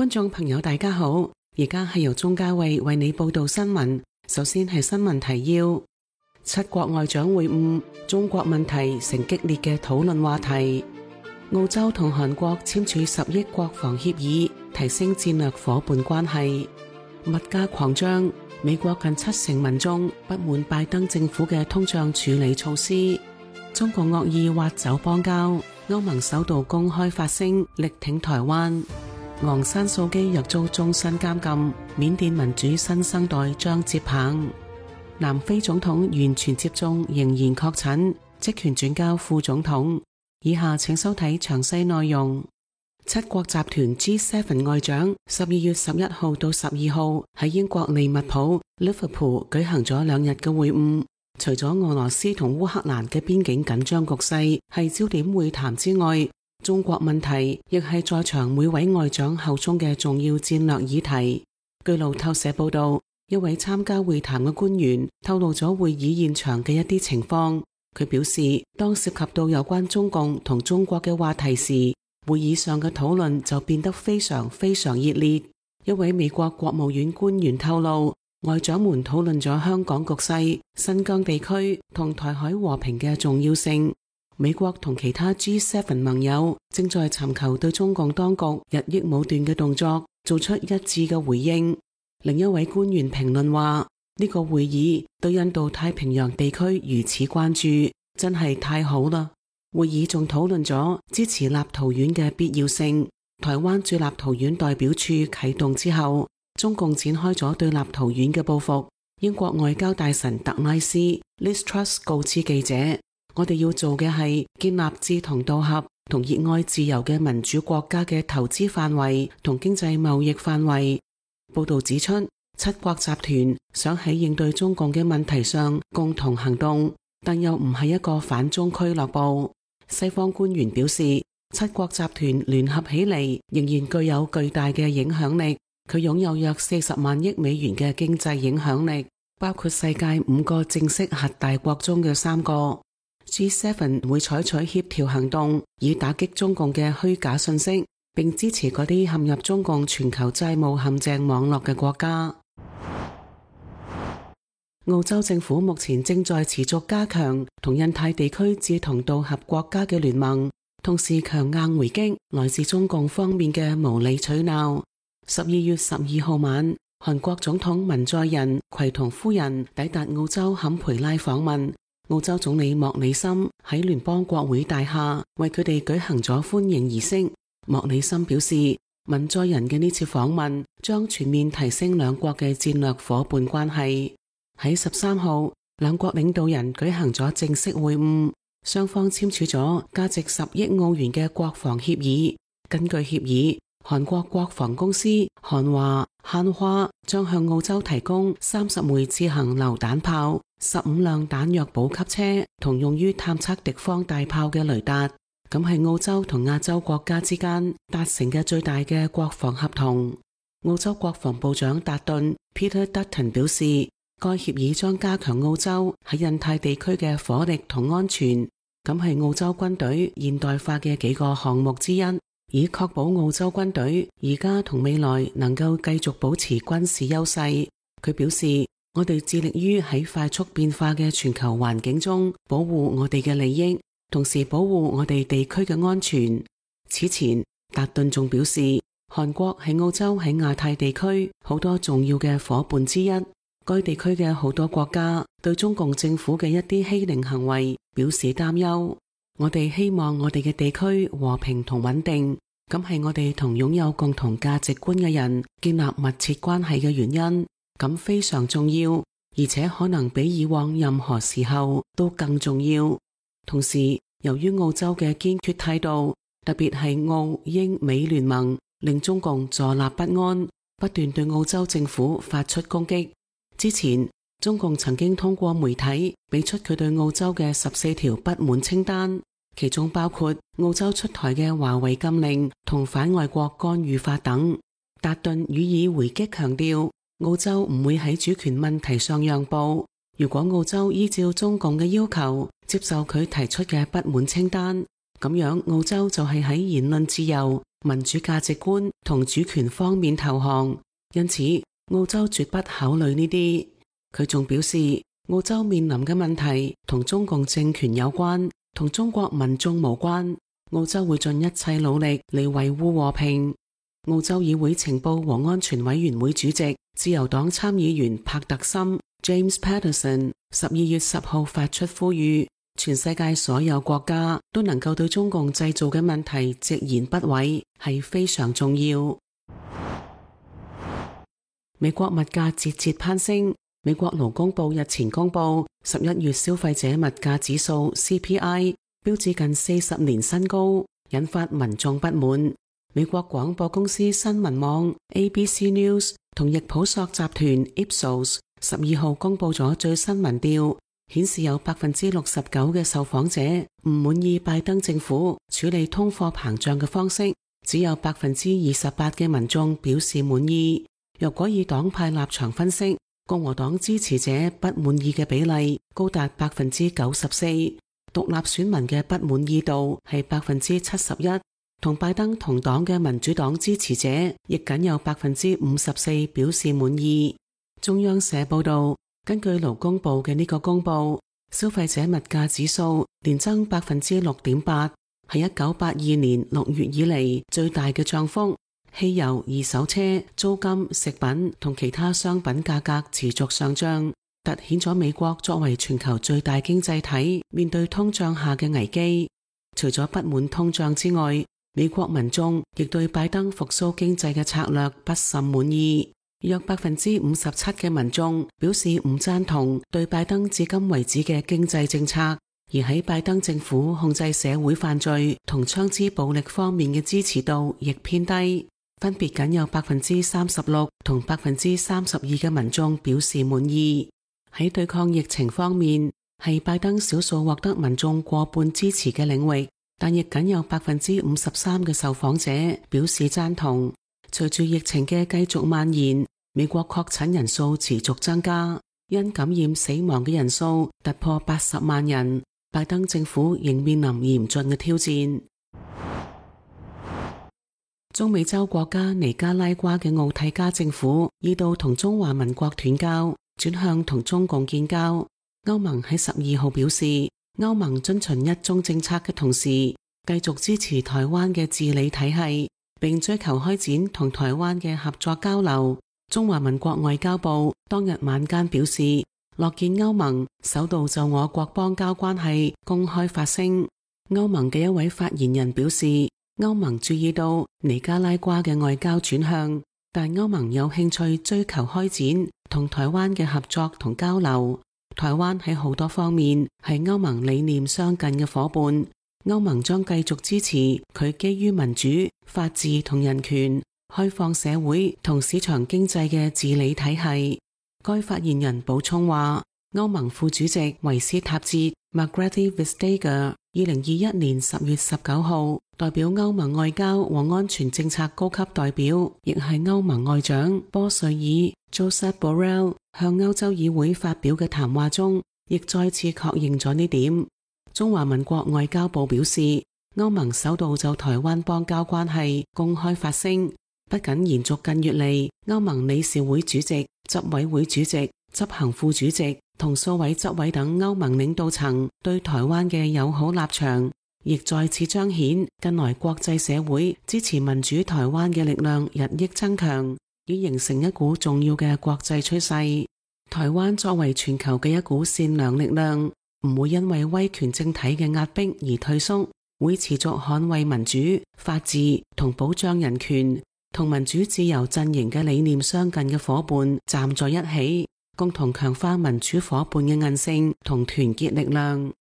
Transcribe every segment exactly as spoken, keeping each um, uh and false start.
觀眾朋友大家好，而家係由鍾嘉慧為你報道新聞。首先係新聞提要：七國外長會晤，中國問題成激烈嘅討論話題。澳洲同韓國簽署十億國防協議，提升戰略夥伴關係。物價狂漲，美國近七成民眾不滿拜登政府嘅通脹處理措施。中共惡意挖走邦交，歐盟首度公開發聲力挺台灣。昂山素姬若遭終身監禁，緬甸民主新生代將接棒。南非總統完全接種仍然確診，職權轉交副總統。以下請收睇詳細內容。七國集團 G 七 外長十二月十一號到十二號喺英國利物浦 Liverpool 舉行咗兩日嘅會晤。除咗俄羅斯同烏克蘭嘅邊境緊張局勢係焦點會談之外，中國問題亦係在場每位外長口中嘅重要戰略議題。據路透社報道，一位參加會談嘅官員透露咗會議現場嘅一啲情況。佢表示，當涉及到有關中共同中國嘅話題時，會議上嘅討論就變得非常非常熱烈。一位美國國務院官員透露，外長們討論咗香港局勢、新疆地區同台海和平嘅重要性。美國同其他 G 七 盟友正在尋求對中共當局日益武斷嘅動作做出一致嘅回應。另一位官員評論話，呢個會議對印度太平洋地區如此關注，真係太好啦。會議仲討論咗支持立陶宛嘅必要性。台灣駐立陶宛代表處啟動之後，中共展開咗對立陶宛嘅報復。英國外交大臣特拉斯 Liz Truss 告知記者，我哋要做嘅係建立志同道合同熱愛自由嘅民主國家嘅投資範圍同經濟貿易範圍。報道指出，七國集團想喺應對中共嘅問題上共同行動，但又唔係一個反中俱樂部。西方官員表示，七國集團聯合起嚟仍然具有巨大嘅影響力，佢擁有約四十萬億美元嘅經濟影響力，包括世界五個正式核大國中嘅三個。G 七 會採取協調行動，以打擊中共嘅虛假信息，並支持嗰啲陷入中共全球債務陷阱網絡嘅國家。澳洲政府目前正在持續加強同印太地區志同道合國家嘅聯盟，同時強硬回擊來自中共方面嘅無理取鬧。十二月十二號晚，韓國總統文在寅攜同夫人抵達澳洲坎培拉訪問。澳洲總理莫里森喺聯邦國會大廈為佢哋舉行咗歡迎儀式。莫里森表示，文在寅嘅呢次訪問將全面提升兩國嘅戰略夥伴關係。喺十三號，兩國領導人舉行咗正式會晤，雙方簽署咗價值十億澳元嘅國防協議。根據協議，韓國國防公司韓華漢華將向澳洲提供三十枚自行榴彈炮、十五輛彈藥補給車同用於探測敵方大炮嘅雷達。咁係澳洲同亞洲國家之間達成嘅最大嘅國防合同。澳洲國防部長達頓 Peter Dutton 表示，該協議將加強澳洲喺印太地區嘅火力同安全。咁係澳洲軍隊現代化嘅幾個項目之一，以確保澳洲軍隊而家同未來能夠繼續保持軍事優勢。佢表示，我哋致力於喺快速變化嘅全球環境中保護我哋嘅利益，同時保護我哋地區嘅安全。此前，達頓仲表示，韓國係澳洲喺亞太地區好多重要嘅夥伴之一。該地區嘅好多國家對中共政府嘅一啲欺凌行為表示擔憂。我哋希望我哋嘅地區和平同穩定，咁係我哋同擁有共同價值觀嘅人建立密切關係嘅原因，咁非常重要，而且可能比以往任何時候都更重要。同時，由於澳洲嘅堅決態度，特別係澳英美聯盟，令中共坐立不安，不斷對澳洲政府發出攻擊。之前，中共曾經通過媒體俾出佢對澳洲嘅十四條不滿清單，其中包括澳洲出台嘅華為禁令同反外國干預法等。達頓予以回擊，強調澳洲唔會喺主權問題上讓步。如果澳洲依照中共嘅要求接受佢提出嘅不滿清單，咁樣澳洲就係喺言論自由、民主價值觀同主權方面投降，因此澳洲絕不考慮呢啲。佢仲表示，澳洲面臨嘅問題同中共政權有關，同中國民眾無關。澳洲會盡一切努力嚟維護和平。澳洲議會情報和安全委員會主席、自由黨參議員帕特森 James Patterson 十二月十號發出呼籲，全世界所有國家都能夠對中共製造嘅問題直言不諱，係非常重要。美國物價節節攀升。美國勞工部日前公布十一月消費者物價指數 C P I 標誌近四十年新高，引發民眾不滿。美國廣播公司新聞網 A B C News 同易普索集團 Ipsos 十二號公布咗最新民調，顯示有百分之六十九嘅受訪者唔滿意拜登政府處理通貨膨脹嘅方式，只有百分之二十八嘅民眾表示滿意。若果以黨派立場分析，共和黨支持者不滿意嘅比例高達百分之九十四，獨立選民嘅不滿意度係百分之七十一，同拜登同黨嘅民主黨支持者亦僅有百分之五十四表示滿意。中央社報道，根據勞工部嘅呢個公布，消費者物價指數年增百分之六點八，係一九八二年六月以嚟最大嘅漲幅。汽油、二手車、租金、食品同其他商品價格持續上漲，凸顯咗美國作為全球最大經濟體面對通脹下嘅危機。除咗不滿通脹之外，美國民眾亦對拜登復甦經濟嘅策略不甚滿意。約百分之五十七嘅民眾表示唔贊同對拜登至今為止嘅經濟政策，而喺拜登政府控制社會犯罪同槍支暴力方面嘅支持度亦偏低。分別僅有百分之三十六同百分之三十二嘅民眾表示滿意。喺對抗疫情方面，係拜登少數獲得民眾過半支持嘅領域，但亦僅有百分之五十三嘅受訪者表示贊同。隨住疫情嘅繼續蔓延，美國確診人數持續增加，因感染死亡嘅人數突破八十萬人，拜登政府仍面臨嚴峻嘅挑戰。中美洲國家尼加拉瓜嘅奧蒂加政府意圖同中華民國斷交，轉向同中共建交。歐盟喺十二號表示，歐盟遵循一中政策嘅同時，繼續支持台灣嘅治理體系，並追求開展同台灣嘅合作交流。中華民國外交部當日晚間表示，樂見歐盟首度就我國邦交關係公開發聲。歐盟嘅一位發言人表示，歐盟注意到尼加拉瓜嘅外交轉向，但歐盟有興趣追求開展同台灣嘅合作同交流。台灣喺好多方面係歐盟理念相近嘅夥伴，歐盟將繼續支持佢基於民主、法治同人權、開放社會同市場經濟嘅治理體系。該發言人補充話，歐盟副主席維斯塔捷 Margrethe Vestager 二零二一年十月十九號代表歐盟外交和安全政策高級代表，亦係歐盟外長波瑞爾 Josep Borrell 向歐洲議會發表嘅談話中，亦再次確認咗呢點。中華民國外交部表示，歐盟首度就台灣邦交關係公開發聲，不僅延續近月嚟歐盟理事會主席、執委會主席、執行副主席同數位執委等歐盟領導層對台灣嘅友好立場，亦再次彰顯近來國際社會支持民主台灣嘅力量日益增強，已形成一股重要嘅國際趨勢。台灣作為全球嘅一股善良力量，唔會因為威權政體嘅壓迫而退縮，會持續捍衛民主、法治同保障人權，同民主自由陣營嘅理念相近嘅夥伴站在一起，共同強化民主夥伴嘅韌性同團結力量。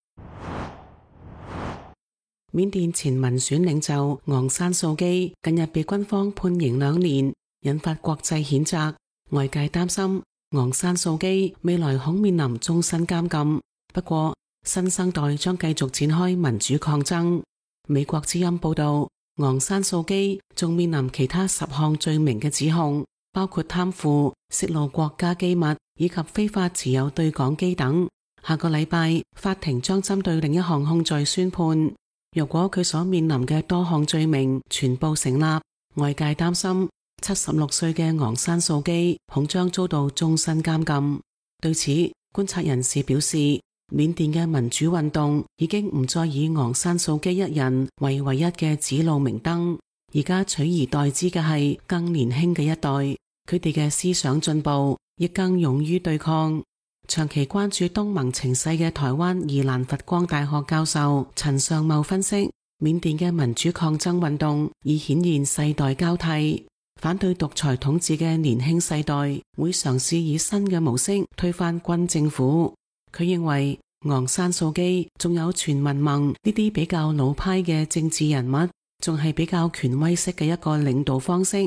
緬甸前民選領袖昂山素基近日被軍方判刑兩年，引發國際譴責。外界擔心昂山素基未來恐面臨終身監禁。不過，新生代將繼續展開民主抗爭。美國之音報道，昂山素基仲面臨其他十項罪名嘅指控，包括貪腐、泄露國家機密以及非法持有對講機等。下個禮拜，法庭將針對另一項控罪宣判。若果佢所面臨嘅多項罪名全部成立，外界擔心七十六歲嘅昂山素姬恐將遭到終身監禁。對此，觀察人士表示，緬甸嘅民主運動已經唔再以昂山素姬一人為唯一嘅指路明燈，而家取而代之嘅係更年輕嘅一代，佢哋嘅思想進步，亦更勇於對抗。長期關注東盟情勢嘅台灣宜蘭佛光大學教授陳尚茂分析，緬甸嘅民主抗爭運動已顯現世代交替，反對獨裁統治嘅年輕世代會嘗試以新嘅模式推翻軍政府。佢認為昂山素姬仲有全民盟呢啲比較老派嘅政治人物，仲係比較權威式嘅一個領導方式，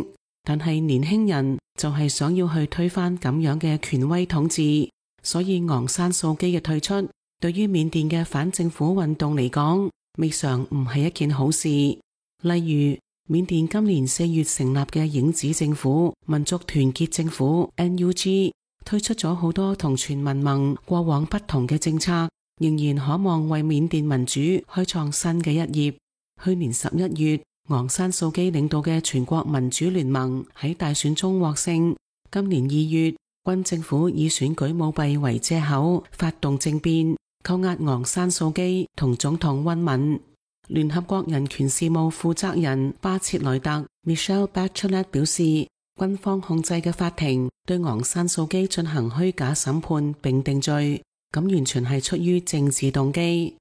但係年輕人就係想要去推翻咁樣嘅權威統治。所以昂山素姬嘅退出，對於緬甸嘅反政府運動嚟講，未嘗唔係一件好事。例如，緬甸今年四月成立嘅影子政府民族團結政府 N U G 推出咗好多同全民盟過往不同嘅政策，仍然可望為緬甸民主開創新嘅一頁。去年十一月，昂山素姬領導嘅全國民主聯盟喺大選中獲勝。今年二月，軍政府以選舉舞弊為借口發動政變，扣押昂山素姬同總統溫敏。聯合國人權事務負責人巴切萊特 Michelle Bachelet 表示，軍方控制嘅法庭對昂山素姬進行虛假審判並定罪，咁完全係出於政治動機。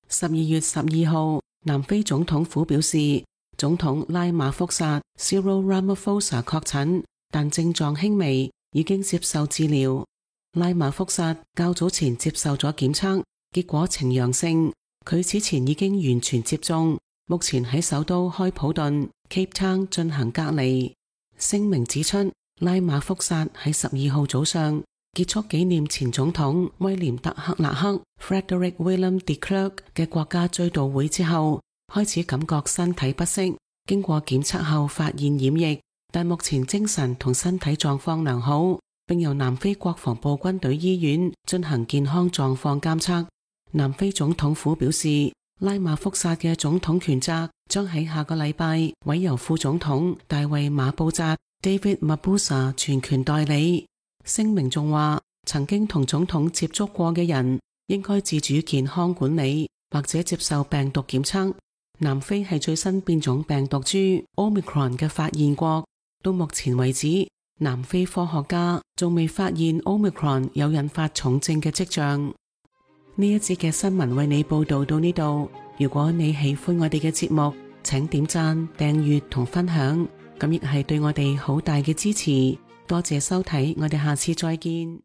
十二月十二號，南非總統府表示，總統拉馬福薩 Cyril Ramaphosa 確診，但症狀輕微，已經接受治療。拉馬福薩較早前接受咗檢測，結果呈陽性。佢此前已經完全接種，目前喺首都開普敦 Cape Town 進行隔離。聲明指出，拉馬福薩喺十二號早上結束紀念前總統威廉德克勒克 Frederick William de Klerk 嘅國家追悼會之後，開始感覺身體不適，經過檢測後發現染疫，但目前精神同身體狀況良好，並由南非國防部軍隊醫院進行健康狀況監測。南非總統府表示，拉馬福薩嘅總統權責將喺下個禮拜委由副總統大衛馬布扎 David Mabuza 全權代理。聲明仲話，曾經同總統接觸過嘅人應該自主健康管理或者接受病毒檢測。南非係最新變種病毒株 Omicron 嘅發現國，到目前為止，南非科學家仲未發現 Omicron 有引發重症嘅跡象。呢一節嘅新聞為你報道到呢度。如果你喜歡我哋嘅節目，請點讚、訂閱同分享，咁亦係對我哋好大嘅支持。多謝收睇，我哋下次再見。